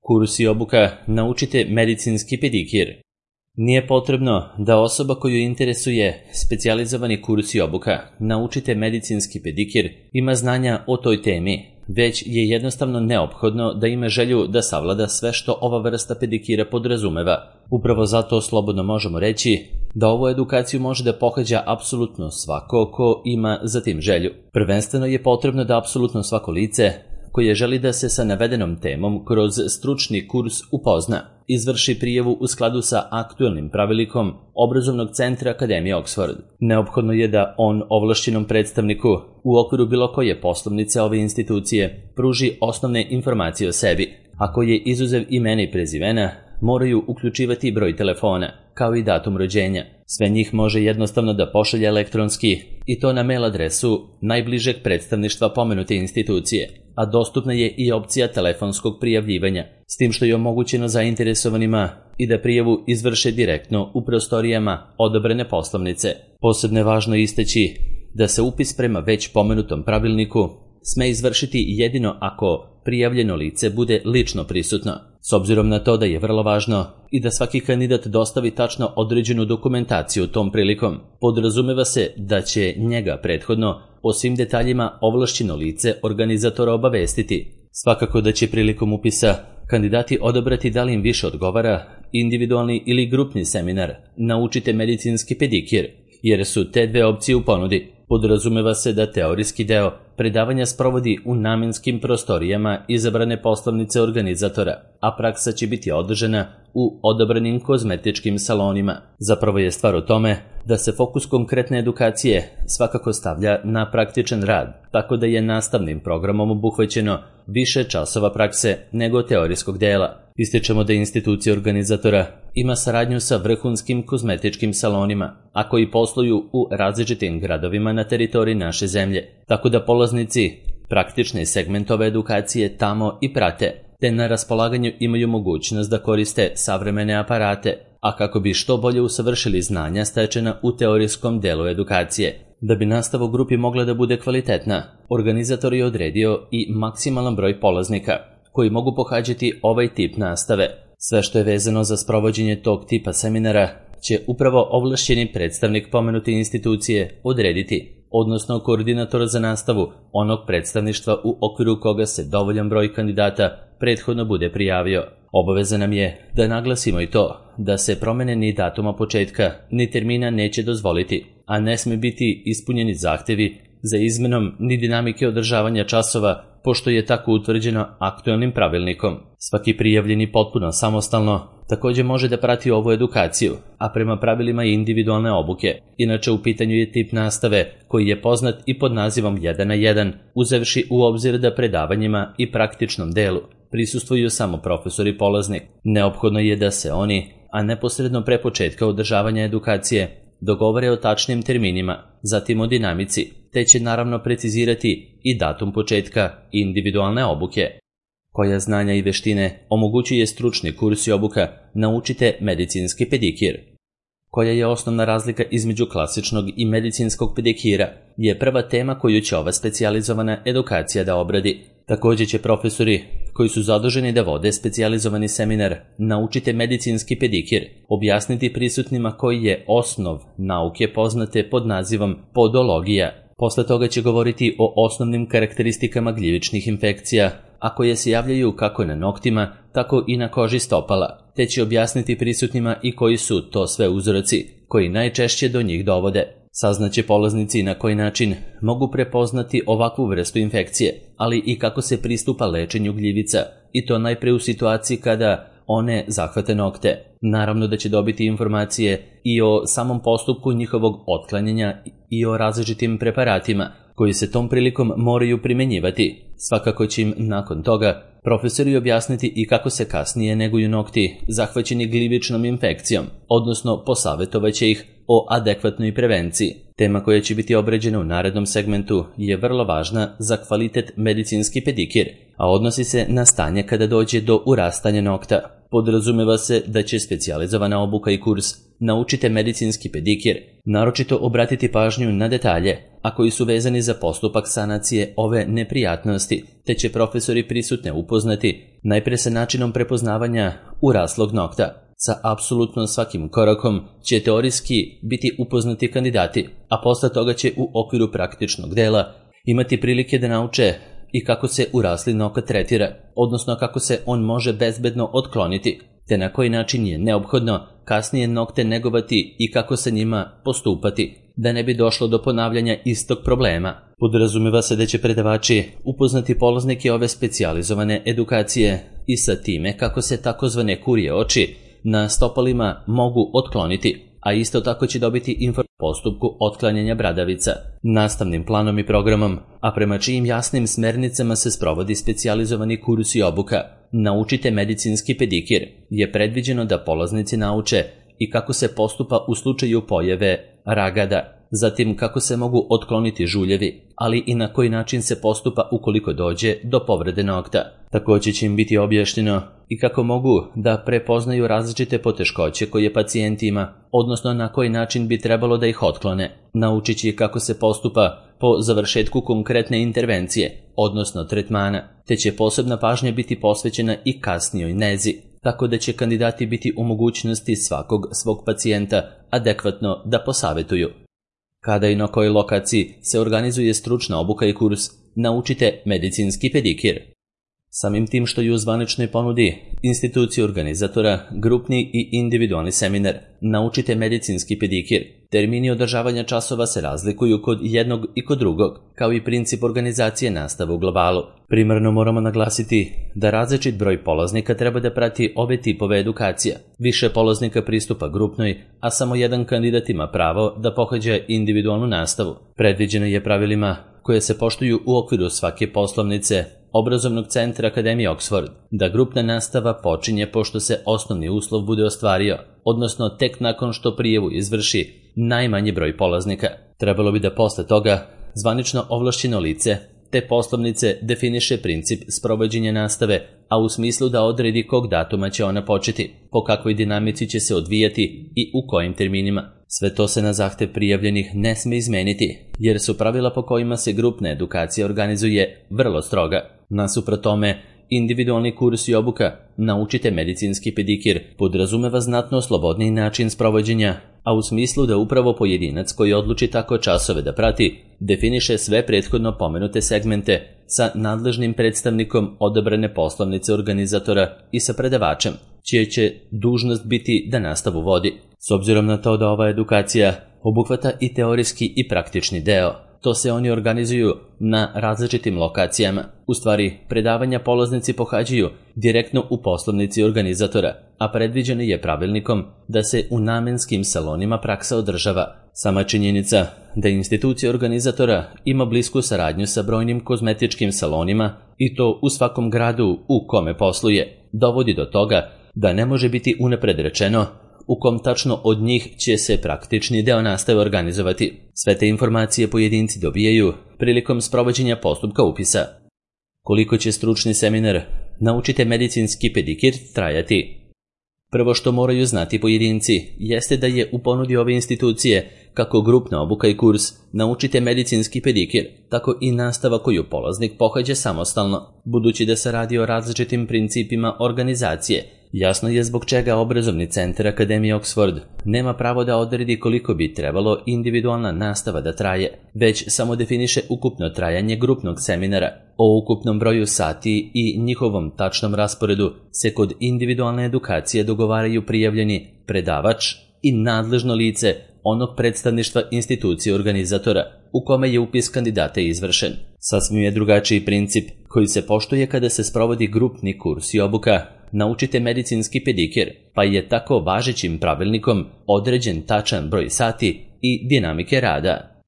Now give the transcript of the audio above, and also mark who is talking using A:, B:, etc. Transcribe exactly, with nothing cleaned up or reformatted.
A: Kurs i obuka Naučite medicinski pedikir. Nije potrebno da osoba koju interesuje specijalizovani kurs i obuka Naučite medicinski pedikir ima znanja o toj temi, već je jednostavno neophodno da ima želju da savlada sve što ova vrsta pedikira podrazumeva. Upravo zato slobodno možemo reći da ovu edukaciju može da pohađa apsolutno svako ko ima za tim želju. Prvenstveno je potrebno da apsolutno svako lice koje želi da se sa navedenom temom kroz stručni kurs upozna, izvrši prijavu u skladu sa aktuelnim pravilnikom Obrazovnog centra Akademije Oxford. Neophodno je da on ovlašćenom predstavniku u okviru bilo koje poslovnice ove institucije pruži osnovne informacije o sebi. Ako je izuzev imena i prezimena, moraju uključivati broj telefona, kao i datum rođenja. Sve njih može jednostavno da pošalje elektronski i to na mail adresu najbližeg predstavništva pomenute institucije, a dostupna je i opcija telefonskog prijavljivanja, s tim što je omogućeno zainteresovanima i da prijavu izvrše direktno u prostorijama odobrene poslovnice. Posebno je važno istaći da se upis prema već pomenutom pravilniku sme izvršiti jedino ako prijavljeno lice bude lično prisutno. S obzirom na to da je vrlo važno i da svaki kandidat dostavi tačno određenu dokumentaciju tom prilikom, podrazumeva se da će njega prethodno o svim detaljima ovlašćeno lice organizatora obavestiti. Svakako da će prilikom upisa kandidati odabrati da li im više odgovara individualni ili grupni seminar Naučite medicinski pedikir, jer su te dve opcije u ponudi. Podrazumeva se da teorijski deo predavanja sprovodi u namenskim prostorijama izabrane poslovnice organizatora, a praksa će biti održana u odabranim kozmetičkim salonima. Zapravo je stvar u tome da se fokus konkretne edukacije svakako stavlja na praktičan rad, tako da je nastavnim programom obuhvaćeno više časova prakse nego teorijskog dela. Ističemo da institucija organizatora ima saradnju sa vrhunskim kozmetičkim salonima, a koji posluju u različitim gradovima na teritoriji naše zemlje, tako da polaznici praktične segmentove edukacije tamo i prate, te na raspolaganju imaju mogućnost da koriste savremene aparate, a kako bi što bolje usavršili znanja stečena u teorijskom delu edukacije. Da bi nastava u grupi mogla da bude kvalitetna, organizator je odredio i maksimalan broj polaznika koji mogu pohađati ovaj tip nastave. Sve što je vezano za sprovođenje tog tipa seminara će upravo ovlašćeni predstavnik pomenute institucije odrediti, odnosno koordinator za nastavu onog predstavništva u okviru koga se dovoljan broj kandidata prethodno bude prijavio. Obaveza nam je da naglasimo i to da se promene ni datuma početka ni termina neće dozvoliti, a ne sme biti ispunjeni zahtevi za izmenom ni dinamike održavanja časova, pošto je tako utvrđeno aktuelnim pravilnikom. Svaki prijavljeni potpuno samostalno također može da prati ovu edukaciju, a prema pravilima individualne obuke. Inače, u pitanju je tip nastave koji je poznat i pod nazivom jedan na jedan, uzevši u obzir da predavanjima i praktičnom delu prisustvuju samo profesor i polaznik. Neophodno je da se oni, a neposredno pre početka održavanja edukacije, dogovore o tačnim terminima, zatim o dinamici, te će naravno precizirati i datum početka individualne obuke. Koja znanja i veštine omogućuje stručni kurs i obuka Naučite medicinski pedikir. Koja je osnovna razlika između klasičnog i medicinskog pedikira je prva tema koju će ova specijalizovana edukacija da obradi. Također će profesori koji su zaduženi da vode specijalizovani seminar Naučite medicinski pedikir objasniti prisutnima koji je osnov nauke poznate pod nazivom podologija. Posle toga će govoriti o osnovnim karakteristikama gljivičnih infekcija, a koje se javljaju kako na noktima, tako i na koži stopala, te će objasniti prisutnima i koji su to sve uzroci koji najčešće do njih dovode. Saznaće polaznici na koji način mogu prepoznati ovakvu vrstu infekcije, ali i kako se pristupa lečenju gljivica, i to najpre u situaciji kada one zahvate nokte. Naravno da će dobiti informacije i o samom postupku njihovog otklanjanja i o različitim preparatima koji se tom prilikom moraju primenjivati. Svakako će im nakon toga profesori objasniti i kako se kasnije neguju nokti zahvaćeni gljivičnom infekcijom, odnosno posavetovaće ih o adekvatnoj prevenciji. Tema koja će biti obrađena u narednom segmentu je vrlo važna za kvalitet medicinski pedikir, a odnosi se na stanje kada dođe do urastanja nokta. Podrazumeva se da će specijalizovana obuka i kurs Naučite medicinski pedikir naročito obratiti pažnju na detalje, a koji su vezani za postupak sanacije ove neprijatnosti, te će profesori prisutne upoznati najpre sa načinom prepoznavanja uraslog nokta. Sa apsolutno svakim korakom će teorijski biti upoznati kandidati, a posle toga će u okviru praktičnog dela imati prilike da nauče i kako se urasli nokat tretira, odnosno kako se on može bezbedno otkloniti, te na koji način je neophodno kasnije nokte negovati i kako sa njima postupati, da ne bi došlo do ponavljanja istog problema. Podrazumeva se da će predavači upoznati polaznike ove specijalizovane edukacije i sa time kako se takozvane kurje oči na stopalima mogu otkloniti, a isto tako će dobiti informaciju o postupku otklanjanja bradavica, nastavnim planom i programom, a prema čijim jasnim smernicama se sprovodi specijalizovani kurs i obuka Naučite medicinski pedikir, je predviđeno da polaznici nauče i kako se postupa u slučaju pojave ragada, zatim kako se mogu otkloniti žuljevi, ali i na koji način se postupa ukoliko dođe do povrede nokta. Također će im biti objašnjeno i kako mogu da prepoznaju različite poteškoće koje pacijent ima, odnosno na koji način bi trebalo da ih otklone. Naučit će kako se postupa po završetku konkretne intervencije, odnosno tretmana, te će posebna pažnja biti posvećena i kasnijoj nezi, tako da će kandidati biti u mogućnosti svakog svog pacijenta adekvatno da posavetuju. Kada i na kojoj lokaciji se organizuje stručna obuka i kurs Naučite medicinski pedikir. Samim tim što je u zvaničnoj ponudi institucije organizatora grupni i individualni seminar Naučite medicinski pedikir, termini održavanja časova se razlikuju kod jednog i kod drugog, kao i princip organizacije nastave u globalu. Primarno moramo naglasiti da različit broj polaznika treba da prati ove tipove edukacija. Više polaznika pristupa grupnoj, a samo jedan kandidat ima pravo da pohađa individualnu nastavu. Predviđeno je pravilima koje se poštuju u okviru svake poslovnice Obrazovnog centra Akademije Oxford, da grupna nastava počinje pošto se osnovni uslov bude ostvario, odnosno tek nakon što prijavu izvrši najmanji broj polaznika. Trebalo bi da posle toga zvanično ovlašćeno lice te poslovnice definiše princip sprovođenja nastave, a u smislu da odredi kog datuma će ona početi, po kakvoj dinamici će se odvijati i u kojim terminima. Sve to se na zahtev prijavljenih ne sme izmeniti, jer su pravila po kojima se grupna edukacija organizuje vrlo stroga. Nasuprot tome, individualni kurs i obuka Naučite medicinski pedikir podrazumeva znatno slobodniji način sprovođenja, a u smislu da upravo pojedinac koji odluči tako časove da prati, definiše sve prethodno pomenute segmente sa nadležnim predstavnikom odabrane poslovnice organizatora i sa predavačem, čija će dužnost biti da nastavu vodi. S obzirom na to da ova edukacija obuhvata i teorijski i praktični deo, to se oni organizuju na različitim lokacijama. U stvari, predavanja polaznici pohađaju direktno u poslovnici organizatora, a predviđeno je pravilnikom da se u namenskim salonima praksa održava. Sama činjenica da institucija organizatora ima blisku saradnju sa brojnim kozmetičkim salonima, i to u svakom gradu u kome posluje, dovodi do toga da ne može biti unapred rečeno u kom tačno od njih će se praktični deo nastave organizovati. Sve te informacije pojedinci dobijaju prilikom sprovođenja postupka upisa. Koliko će stručni seminar Naučite medicinski pedikir trajati? Prvo što moraju znati pojedinci jeste da je u ponudi ove institucije kako grupna obuka i kurs Naučite medicinski pedikir, tako i nastava koju polaznik pohađa samostalno. Budući da se radi o različitim principima organizacije, jasno je zbog čega Obrazovni centar Akademije Oxford nema pravo da odredi koliko bi trebalo individualna nastava da traje, već samo definiše ukupno trajanje grupnog seminara. O ukupnom broju sati i njihovom tačnom rasporedu se kod individualne edukacije dogovaraju prijavljeni predavač i nadležno lice onog predstavništva institucije organizatora u kome je upis kandidata izvršen. Sasvim je drugačiji princip koji se poštuje kada se sprovodi grupni kurs i obuka Naučite medicinski pedikir, pa je tako važećim pravilnikom određen tačan broj sati i dinamike rada.